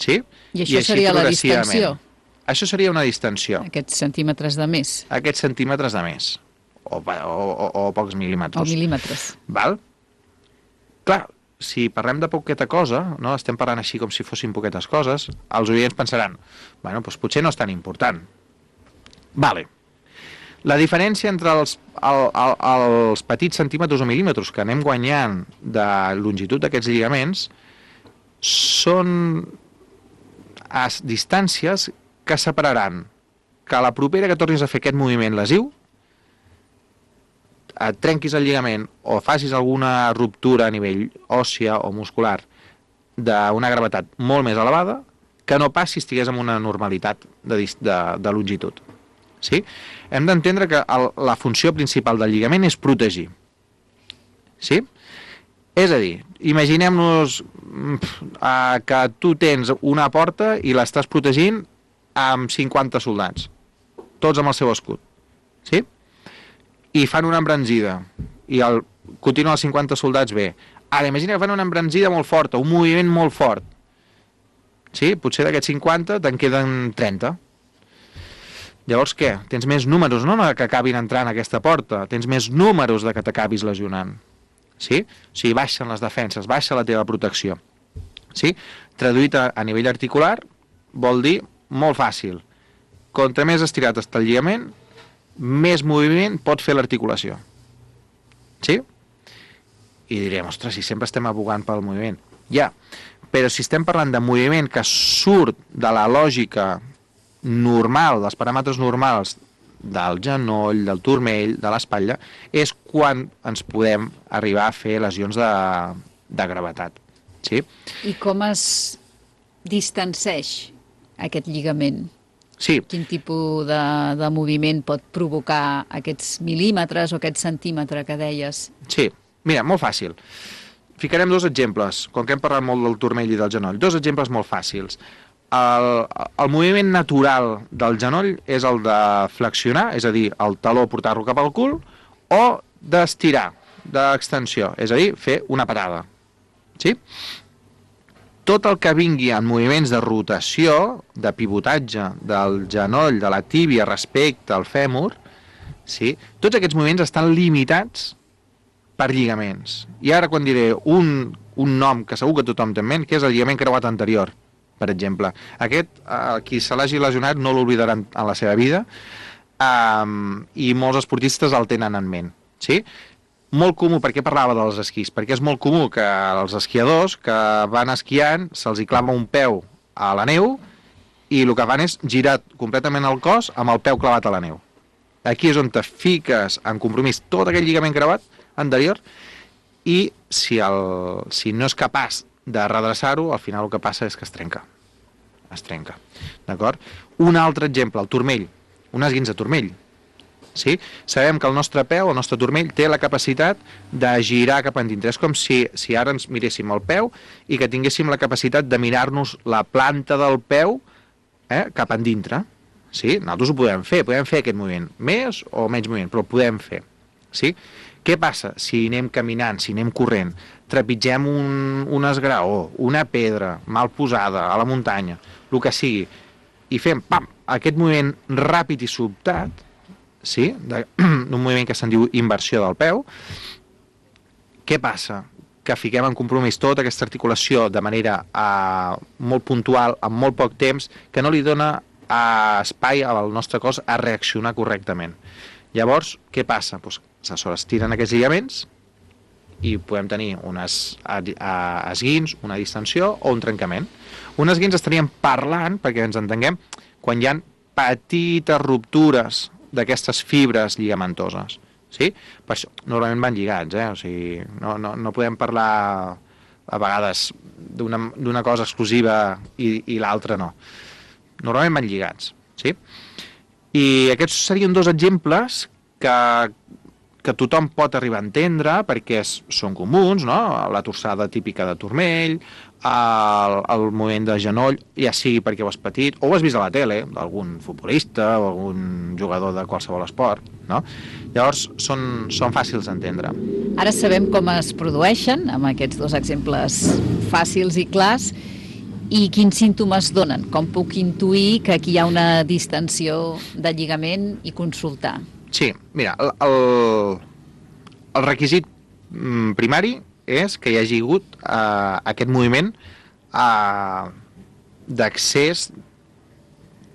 S7: Sí?
S2: I això seria la distensió?
S7: Això seria una distensió.
S2: Aquests centímetres de més.
S7: Aquests centímetres de més. O, o, o, o pocs mil·límetres.
S2: O mil·límetres.
S7: Val? Clar, si parlem de poqueta cosa, no? Estem parlant així com si fossin poquetes coses, els oients pensaran, bueno, doncs potser no és tan important. Vale. La diferència entre els, el, el, els petits centímetres o mil·límetres que anem guanyant de longitud d'aquests lligaments són a distàncies que separaran que a la propera que tornis a fer aquest moviment lesiu et trenquis el lligament o facis alguna ruptura a nivell òssia o muscular d'una gravetat molt més elevada que no pas si estigués en una normalitat de, de, de longitud. Sí? Hem d'entendre que el, la funció principal del lligament és protegir. Sí? És a dir, imaginem-nos uh, que tu tens una porta i l'estàs protegint amb cinquanta soldats, tots amb el seu escut. Sí? I fan una embranzida i el, continuen els cinquanta soldats bé. Ara, imagina que fan una embranzida molt forta, un moviment molt fort. Sí? Potser d'aquests cinquanta te'n queden trenta. Llavors què? Tens més números, no que acabin entrant a aquesta porta, tens més números de que t'acabis lesionant. Sí? O sigui, baixen les defenses, baixa la teva protecció. Sí? Traduït a, a nivell articular vol dir molt fàcil. Contra més estirat està el lligament, més moviment pot fer l'articulació. Sí? I direm, ostres, si sempre estem abogant pel moviment. Ja, però si estem parlant de moviment que surt de la lògica normal, dels paràmetres normals del genoll, del turmell, de l'espatlla, és quan ens podem arribar a fer lesions de, de gravetat. Sí?
S2: I com es distanceix aquest lligament?
S7: Sí.
S2: Quin tipus de, de moviment pot provocar aquests mil·límetres o aquest centímetre que deies?
S7: Sí, mira, molt fàcil. Ficarem dos exemples, com que hem parlat molt del turmell i del genoll, dos exemples molt fàcils. El, el moviment natural del genoll és el de flexionar, és a dir, el taló portar-lo cap al cul, o d'estirar, d'extensió, és a dir, fer una patada. Sí? Tot el que vingui en moviments de rotació, de pivotatge del genoll, de la tíbia respecte al fèmur, sí? Tots aquests moviments estan limitats per lligaments. I ara quan diré un, un nom que segur que tothom té en ment, que és el lligament creuat anterior, per exemple. Aquest, eh, qui se l'hagi lesionat no l'oblidaran en la seva vida, eh, i molts esportistes el tenen en ment. Sí? Molt comú, perquè parlava dels esquís, perquè és molt comú que els esquiadors que van esquiant se'ls hi clava un peu a la neu i el que fan és girar completament el cos amb el peu clavat a la neu. Aquí és on te fiques en compromís tot aquell lligament creuat anterior i si, el, si no és capaç de redreçar-ho, al final el que passa és que es trenca. Es trenca, d'acord? Un altre exemple, el turmell, un esguins de turmell. Sí? Sabem que el nostre peu, el nostre turmell, té la capacitat de girar cap endintre. És com si, si ara ens miréssim el peu i que tinguéssim la capacitat de mirar-nos la planta del peu eh, cap endintre. Sí? Nosaltres ho podem fer, podem fer aquest moviment, més o menys moviment, però ho podem fer. Sí? Què passa si anem caminant, si anem corrent, trepitgem un, un esgraó, una pedra mal posada a la muntanya, el que sigui, i fem pam, aquest moviment ràpid i sobtat, sí? d'un moviment que se'n diu inversió del peu, què passa? Que fiquem en compromís tota aquesta articulació de manera uh, molt puntual, en molt poc temps, que no li dona uh, espai al nostre cos a reaccionar correctament. Llavors, què passa? Pues, se sobreestiren aquests lligaments i podem tenir unes esguins, una distensió o un trencament. Un esguins estaríem parlant, perquè ens entenguem, quan hi ha petites ruptures d'aquestes fibres lligamentoses. Sí? Per això, normalment van lligats, eh? O sigui, no, no, no podem parlar a vegades d'una cosa exclusiva i, i l'altra no. Normalment van lligats. Sí? I aquests serien dos exemples que, que tothom pot arribar a entendre perquè és, són comuns, no? La torçada típica de turmell, el, el moviment de genoll, ja sigui perquè ho has patit, o ho has vist a la tele, d'algun futbolista o algun jugador de qualsevol esport, no? Llavors són, són fàcils d'entendre.
S2: Ara sabem com es produeixen, amb aquests dos exemples fàcils i clars, i quins símptomes donen? Com puc intuir que aquí hi ha una distensió de lligament i consultar?
S7: Sí, mira, el, el, el requisit primari és que hi hagi hagut uh, aquest moviment uh, d'accés,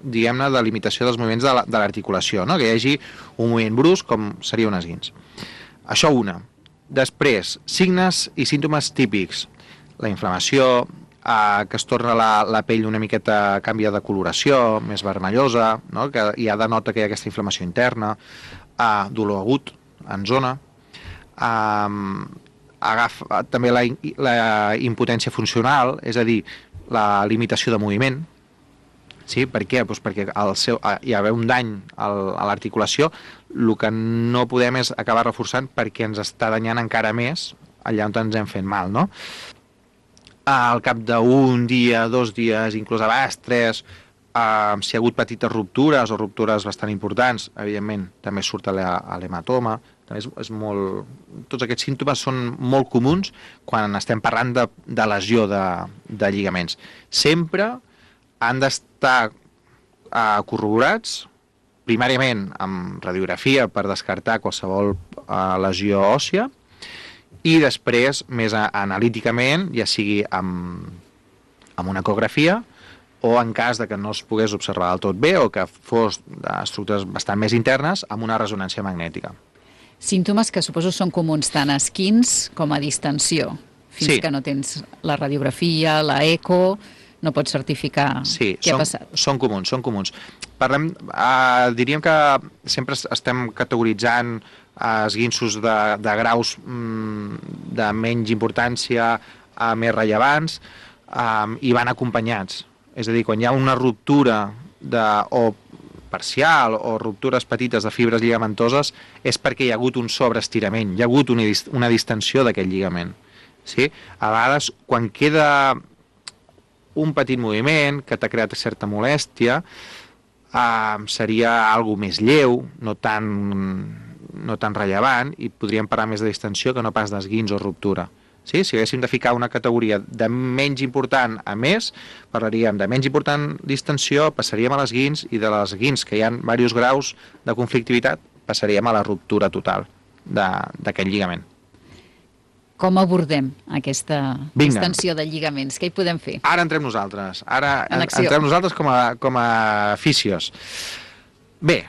S7: diguem-ne, de limitació dels moviments de l'articulació, no? Que hi hagi un moviment brusc com seria un esguins. Això una. Després, signes i símptomes típics. La inflamació, Uh, que es torna la, la pell una miqueta, canvia de coloració, més vermellosa, no? Que ja denota que hi ha aquesta inflamació interna, uh, dolor agut en zona, uh, agafa, també la, la impotència funcional, és a dir, la limitació de moviment. Sí? Per què? Pues perquè el seu, uh, hi ha un dany al, a l'articulació, el que no podem és acabar reforçant perquè ens està danyant encara més allà on ens hem fet mal, no? Al cap d'un dia, dos dies, inclús a vegades tres, eh, si hi ha hagut petites ruptures o ruptures bastant importants, evidentment també surt l'hematoma. També és, és molt... Tots aquests símptomes són molt comuns quan estem parlant de, de lesió de, de lligaments. Sempre han d'estar eh, corroborats, primàriament amb radiografia per descartar qualsevol eh, lesió òssia, i després, més analíticament, ja sigui amb, amb una ecografia o en cas de que no es pogués observar del tot bé o que fos d'estructures bastant més internes, amb una ressonància magnètica.
S2: Símptomes que suposo són comuns tant a esquins com a distensió. Fins
S7: sí.
S2: que no tens la radiografia, la eco, no pots certificar
S7: sí,
S2: què
S7: són,
S2: ha passat.
S7: Són comuns, són comuns. Parlem, eh, diríem que sempre estem categoritzant esguinços de, de graus mm, de menys importància a més rellevants um, i van acompanyats. És a dir, quan hi ha una ruptura de, o parcial o ruptures petites de fibres lligamentoses és perquè hi ha hagut un sobreestirament, hi ha hagut una, una distensió d'aquest lligament. Sí? A vegades, quan queda un petit moviment que t'ha creat certa molèstia, uh, seria algo més lleu, no tan... no tan rellevant, i podríem parlar més de distensió que no pas d'esguins o ruptura. Sí? Si haguéssim de ficar una categoria de menys important a més, parlaríem de menys important distensió, passaríem a l'esguins, i de l'esguins, que hi ha diversos graus de conflictivitat, passaríem a la ruptura total d'aquest lligament.
S2: Com abordem aquesta
S7: Vinga.
S2: distensió de lligaments? Què hi podem fer?
S7: Ara entrem nosaltres. Ara
S2: En acció.
S7: entrem nosaltres com a, com a fisios. Bé,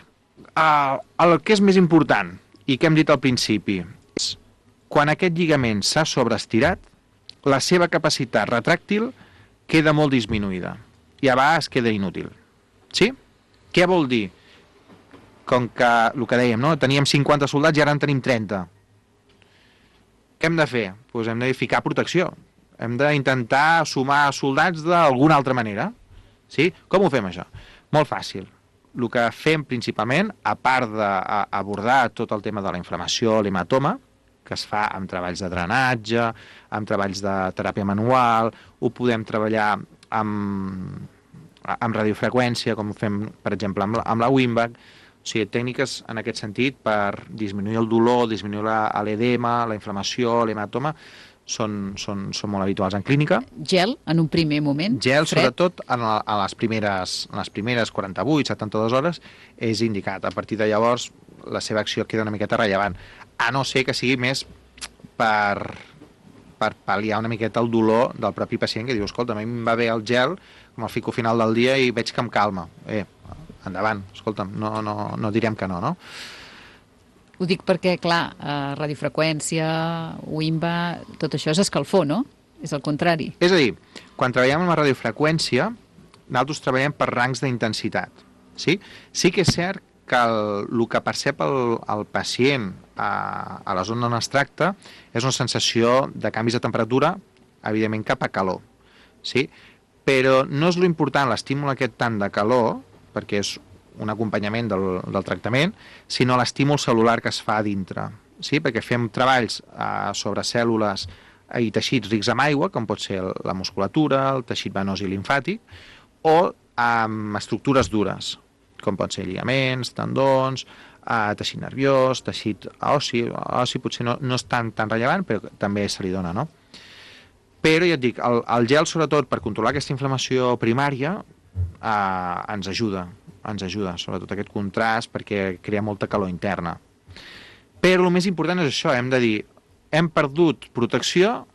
S7: Uh, el que és més important i que hem dit al principi és quan aquest lligament s'ha sobreestirat, la seva capacitat retràctil queda molt disminuïda i a vegades queda inútil. Sí? Què vol dir? Com que, el que dèiem, no? Teníem cinquanta soldats i ara en tenim trenta. Què hem de fer? Pues hem de ficar protecció. Hem d'intentar sumar soldats d'alguna altra manera. Sí? Com ho fem, això? Molt fàcil. El que fem principalment, a part d'abordar tot el tema de la inflamació, l'hematoma, que es fa amb treballs de drenatge, amb treballs de teràpia manual, ho podem treballar amb, amb radiofreqüència, com fem, per exemple, amb la, amb la Wimback. O sigui, tècniques en aquest sentit per disminuir el dolor, disminuir l'edema, la inflamació, l'hematoma, són, són, són molt habituals en clínica.
S2: Gel, en un primer moment?
S7: Gel,
S2: fred.
S7: sobretot, en, la, en, les primeres, en les primeres quaranta-vuit setanta-dues hores, és indicat. A partir de llavors, la seva acció queda una miqueta rellevant. A no ser que sigui més per, per pal·liar una miqueta el dolor del propi pacient, que diu, escolta, a mi em va bé el gel, com el fico al final del dia i veig que em calma. Eh, endavant, escolta'm, no, no, no direm que no, no?
S2: Ho dic perquè, clar, eh, radiofreqüència, Wimba, tot això és escalfor, no? És el contrari.
S7: És a dir, quan treballem amb la radiofreqüència, nosaltres treballem per rangs d'intensitat. Sí? Sí que és cert que el, el que percep el, el pacient a, a la zona on es tracta és una sensació de canvis de temperatura, evidentment cap a calor. Sí? Però no és l'important l'estímul aquest tant de calor, perquè és un acompanyament del, del tractament, sinó l'estímul cel·lular que es fa a dintre. Sí? Perquè fem treballs eh, sobre cèl·lules i teixits rics en aigua, com pot ser la musculatura, el teixit venós i limfàtic, o amb estructures dures, com pot ser lligaments, tendons, eh, teixit nerviós, teixit ossi, ossi potser no, no és tan, tan rellevant, però també se li dona, no? Però ja et dic, el, el gel, sobretot, per controlar aquesta inflamació primària, eh, ens ajuda, ens ajuda, sobretot aquest contrast, perquè crea molta calor interna. Però el més important és això, hem de dir, hem perdut protecció,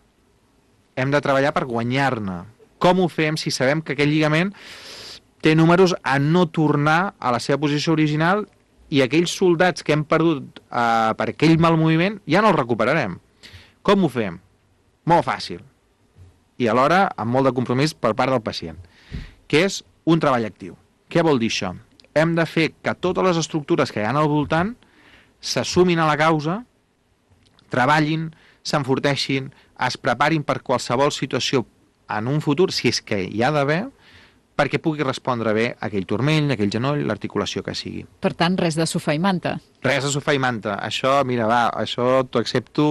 S7: hem de treballar per guanyar-ne. Com ho fem si sabem que aquell lligament té números a no tornar a la seva posició original i aquells soldats que hem perdut eh, per aquell mal moviment ja no els recuperarem? Com ho fem? Molt fàcil. I alhora amb molt de compromís per part del pacient, que és un treball actiu. Què vol dir això? Hem de fer que totes les estructures que hi ha al voltant s'assumin a la causa, treballin, s'enforteixin, es preparin per qualsevol situació en un futur, si és que hi ha d'haver, perquè pugui respondre bé aquell turmell, aquell genoll, l'articulació que sigui.
S2: Per tant, res de sofà i manta.
S7: Res de sofà i manta. Això, mira, va, això t'ho accepto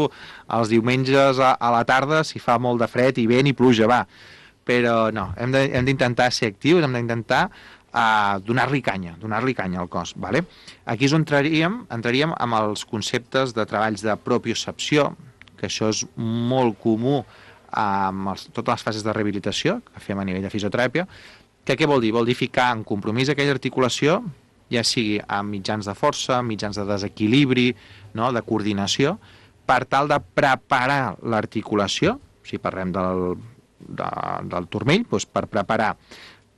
S7: els diumenges a, a la tarda, si fa molt de fred i vent i pluja, va. Però no, hem d'intentar ser actius, hem d'intentar uh, donar-li canya, donar-li canya al cos. Vale? Aquí és on entraríem, entraríem amb els conceptes de treballs de propiocepció, que això és molt comú amb els, totes les fases de rehabilitació que fem a nivell de fisioteràpia, que què vol dir? Vol dir ficar en compromís aquella articulació, ja sigui amb mitjans de força, mitjans de desequilibri, no? De coordinació, per tal de preparar l'articulació, si parlem del De, del turmell, doncs per preparar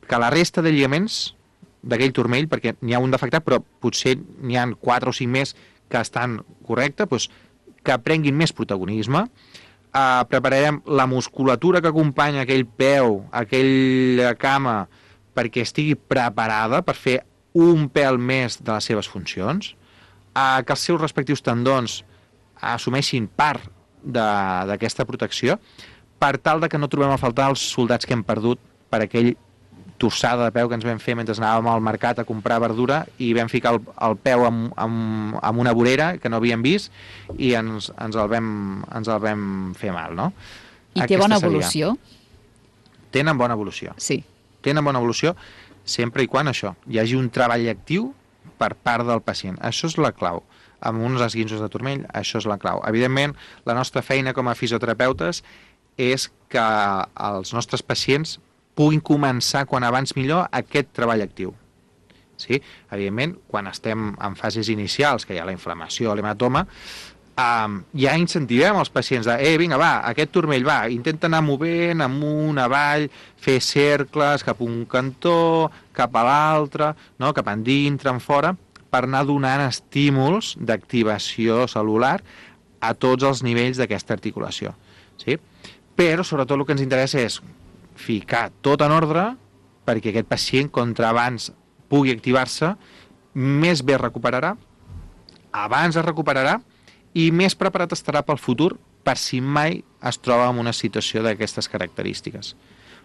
S7: que la resta de lligaments d'aquell turmell, perquè n'hi ha un defectat, però potser n'hi ha quatre o cinc més que estan correctes, doncs que prenguin més protagonisme. Eh, prepararem la musculatura que acompanya aquell peu, aquella cama, perquè estigui preparada per fer un pèl més de les seves funcions, eh, que els seus respectius tendons assumeixin part d'aquesta protecció, per tal de que no trobem a faltar els soldats que hem perdut per aquell torçada de peu que ens vam fer mentre anàvem al mercat a comprar verdura i vam ficar el, el peu amb, amb, amb una vorera que no havíem vist i ens, ens, el, vam, ens el vam fer mal, no?
S2: I té bona evolució?
S7: Tenen bona evolució.
S2: Sí.
S7: Tenen bona evolució sempre i quan això, hi hagi un treball actiu per part del pacient. Això és la clau. Amb uns esguinços de turmell, això és la clau. Evidentment, la nostra feina com a fisioterapeutes és que els nostres pacients puguin començar quan abans millor aquest treball actiu. Sí? Evidentment, quan estem en fases inicials, que hi ha la inflamació, l'hematoma, um, ja incentivem els pacients de, eh, vinga, va, aquest turmell, va, intenta anar movent amunt, avall, fer cercles cap a un cantó, cap a l'altre, no? Cap endintre, en fora, per anar donant estímuls d'activació cel·lular a tots els nivells d'aquesta articulació. Sí? Però, sobretot, el que ens interessa és ficar tot en ordre perquè aquest pacient, contra abans pugui activar-se, més bé recuperarà, abans es recuperarà i més preparat estarà pel futur per si mai es troba en una situació d'aquestes característiques.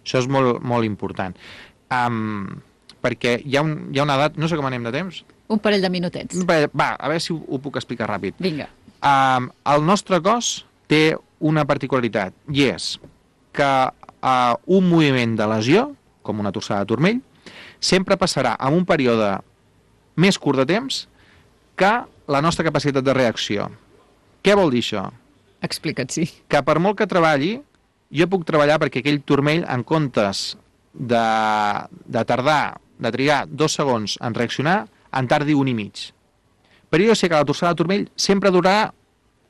S7: Això és molt, molt important. Um, perquè hi ha, un, hi ha una edat... No sé com anem de temps.
S2: Un parell de minutets.
S7: Va, a veure si ho, ho puc explicar ràpid.
S2: Vinga.
S7: Um, el nostre cos té una particularitat, i és que uh, un moviment de lesió, com una torçada de turmell, sempre passarà en un període més curt de temps que la nostra capacitat de reacció. Què vol dir això?
S2: Explica't, sí.
S7: Que per molt que treballi, jo puc treballar perquè aquell turmell, en comptes de, de tardar, de trigar dos segons en reaccionar, en tardi un i mig. Però jo sé que la torçada de turmell sempre durarà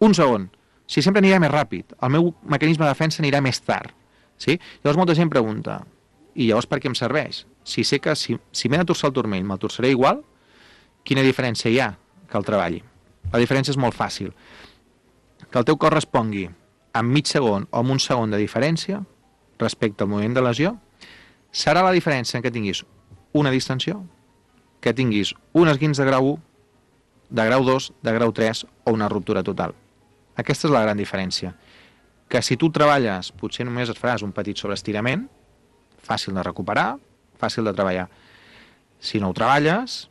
S7: un segon. O sigui, sempre anirà més ràpid. El meu mecanisme de defensa anirà més tard. Sí? Llavors molta gent pregunta, i llavors per què em serveix? Si sé que si, si m'he de torçar el turmell, me'l torçaré igual, quina diferència hi ha que el treballi? La diferència és molt fàcil. Que el teu cos respongui en mig segon o en un segon de diferència respecte al moviment de lesió, serà la diferència en què tinguis una distensió, que tinguis un esguins de grau u, de grau dos, de grau tres o una ruptura total. Aquesta és la gran diferència. Que si tu treballes, potser només et faràs un petit sobreestirament, fàcil de recuperar, fàcil de treballar. Si no ho treballes,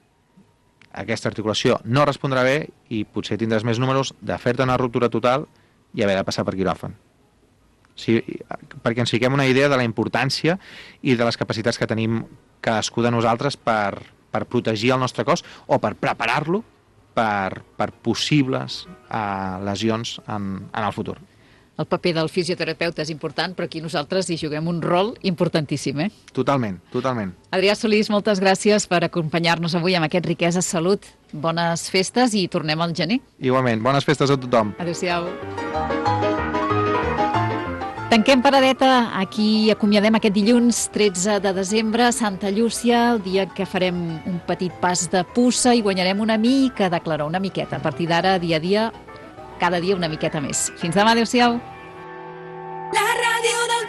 S7: aquesta articulació no respondrà bé i potser tindràs més números de fer-te una ruptura total i haver de passar per quiròfan. Sí, perquè ens fiquem una idea de la importància i de les capacitats que tenim cadascú de nosaltres per, per protegir el nostre cos o per preparar-lo per, per possibles uh, lesions en, en el futur.
S2: El paper del fisioterapeuta és important, però aquí nosaltres hi juguem un rol importantíssim, eh?
S7: Totalment, totalment.
S2: Adrià Solís, moltes gràcies per acompanyar-nos avui amb aquest Riquesa Salut. Bones festes i tornem al gener.
S7: Igualment, bones festes a tothom.
S2: Adéu-siau. Tanquem paradeta, aquí acomiadem aquest dilluns tretze de desembre, Santa Llúcia, el dia que farem un petit pas de puça i guanyarem una mica de claror, una miqueta. A partir d'ara, dia a dia, cada dia una miqueta més. Fins demà, adéu-siau.
S8: La ràdio del